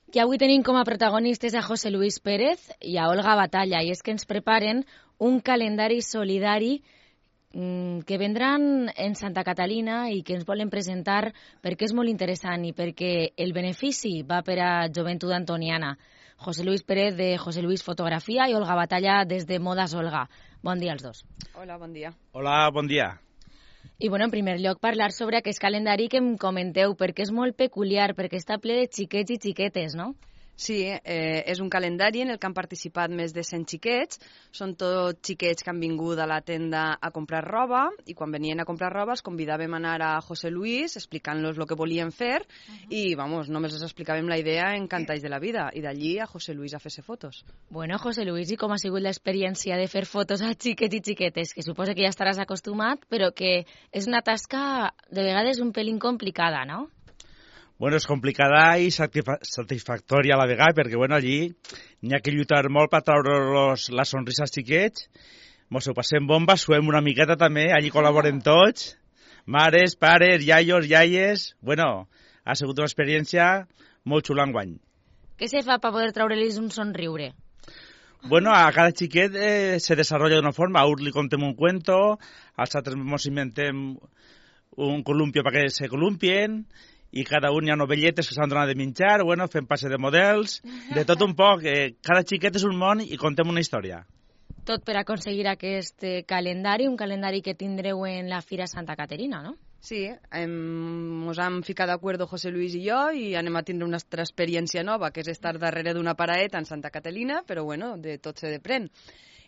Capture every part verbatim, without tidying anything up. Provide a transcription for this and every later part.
I avui tenim com a protagonistes a José Luis Pérez i a Olga Batalla, i és que ens preparen un calendari solidari mmm, que vendran en Santa Catalina i que ens volen presentar perquè és molt interessant i perquè el benefici va per a Joventut Antoniana. José Luis Pérez de José Luis Fotografia i Olga Batalla des de Modas Olga. Bon dia als dos. Hola, bon dia. Hola, bon dia. I, bueno, en primer lloc, parlar sobre aquest calendari que em comenteu, perquè és molt peculiar, perquè està ple de xiquets i xiquetes, no? Sí, eh, és un calendari en el que han participat més de cent xiquets. Són tots xiquets que han vingut a la tenda a comprar roba i quan venien a comprar roba els convidàvem a anar a José Luis explicant-los el que volien fer uh-huh. i, vamos, només els explicàvem la idea en cantalls de la vida i d'allí a José Luis a fer-se fotos. Bueno, José Luis, i com ha sigut l'experiència de fer fotos a xiquets i xiquetes? Que suposa que ja estaràs acostumat, però que és una tasca de vegades un pelín complicada, no? Bueno, és complicada i satisfactòria a la vegada, perquè bueno, allí n'hi ha que lluitar molt per treure la sonrisa als xiquets. Mos ho passem bomba, suem una miqueta també, allí col·laborem tots, mares, pares, iaios, iaies. Bueno, ha sigut una experiència molt xula enguany. Què se fa per poder treure-los un somriure? Bueno, a cada xiquet eh, se desarrolla d'una forma. A un li contem un cuento, als altres mos inventem un columpio perquè se columpien, i cada un hi ha novelletes que s'han donat de menjar, bueno, fem passe de models, de tot un poc. Eh, cada xiquet és un món i contem una història. Tot per aconseguir aquest calendari, un calendari que tindreu en la Fira Santa Caterina, no? Sí, hem, ens hem ficat d'acord José Luis i jo i anem a tindre una altra experiència nova, que és estar darrere d'una paraeta en Santa Catalina, però bueno, de tot se depèn.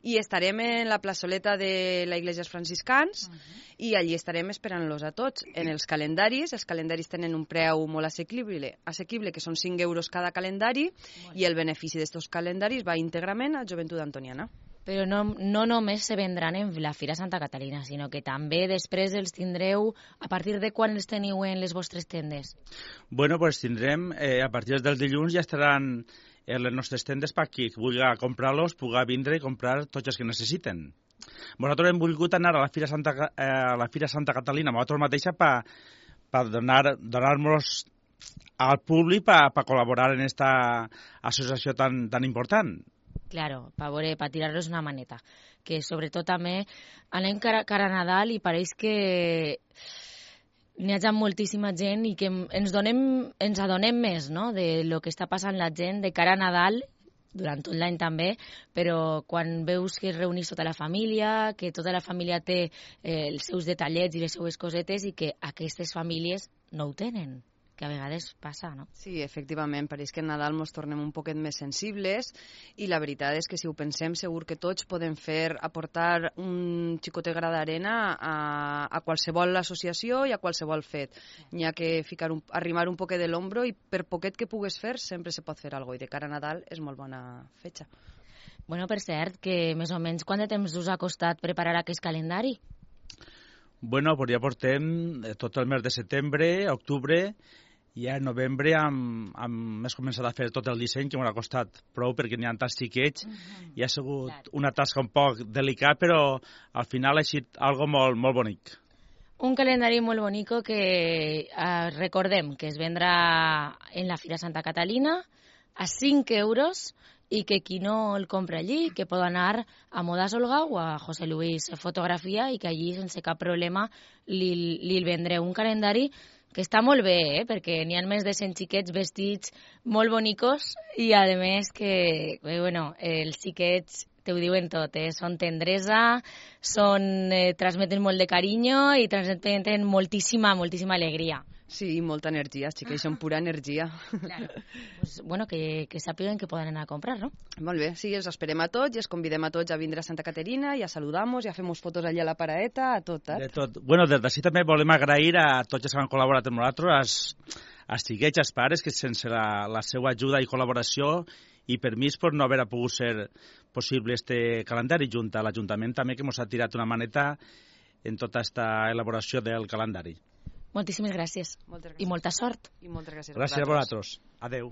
I estarem en la plaçoleta de la Iglesia Franciscans uh -huh. i allí estarem esperant-los a tots. En els calendaris, els calendaris tenen un preu molt assequible, assequible que són cinc euros cada calendari i el benefici d'aquests calendaris va íntegrament a Joventut Antoniana. Però no, no només se vendran en la Fira Santa Catalina, sinó que també després els tindreu, a partir de quan els teniu en les vostres tendes? Bueno, pues tindrem, eh, a partir del dilluns ja estaran en les nostres tendes per qui vulgui comprar-los, pugui vindre i comprar tots els que necessiten. Nosaltres hem volgut anar a la Fira Santa, eh, a la Fira Santa Catalina, nosaltres mateixa, per pa donar, donar-nos al públic per pa col·laborar en aquesta associació tan, tan important. Claro, per veure, per tirar-los una maneta. Que sobretot també anem cara, cara a Nadal i pareix que n'hi ha moltíssima gent i que ens, donem, ens adonem més, no?, de lo que està passant la gent de cara a Nadal, durant tot l'any també, però quan veus que es reunís tota la família, que tota la família té eh, els seus detallets i les seues cosetes i que aquestes famílies no ho tenen, que a vegades passa, no? Sí, efectivament, pareix que en Nadal ens tornem un poquet més sensibles i la veritat és que si ho pensem segur que tots podem fer, aportar un xicotet gra d'arena a, a qualsevol associació i a qualsevol fet. N'hi ha que ficar un, arrimar un poquet de l'ombro i per poquet que pugues fer sempre se pot fer alguna cosa i de cara a Nadal és molt bona fetxa. Bueno, per cert, que més o menys quant de temps us ha costat preparar aquest calendari? Bueno, pues ja portem tot el mes de setembre, octubre, i a novembre hem, hem començat a fer tot el disseny, que m'ha costat prou perquè n'hi ha tants xiquets uh-huh. i ha sigut claro. Una tasca un poc delicat, però al final ha estat algo molt, molt bonic. Un calendari molt bonic que eh, recordem que es vendrà en la Fira Santa Catalina a cinc euros i que qui no el compra allí, que pot anar a Modas Olga o a José Luis Fotografia i que allí sense cap problema li, li vendreu un calendari que està molt bé, eh? Perquè n'hi ha més de cent xiquets vestits molt bonicos i, a més, que bueno, els xiquets te ho diuen tot, eh? Són tendresa, són, eh, transmeten molt de carinyo i transmeten moltíssima, moltíssima alegria. Sí, i molta energia, els xiquets són pura energia. Claro. Pues, bueno, que, que sàpiguen que poden anar a comprar, no? Molt bé, sí, els esperem a tots i els convidem a tots a vindre a Santa Caterina, ja saludamos, ja fem fotos allà a la paraeta, a tot, eh? De tot. Bueno, des d'ací també volem agrair a tots els que han col·laborat amb nosaltres, als, als xiquets, als pares, que sense la, la seva ajuda i col·laboració i permís per no haver pogut ser possible este calendari, junt a l'Ajuntament també, que ens ha tirat una maneta en tota aquesta elaboració del calendari. Moltíssimes gràcies. Moltes gràcies. I molta sort. I moltes gràcies. Gràcies a vosaltres. Adeu.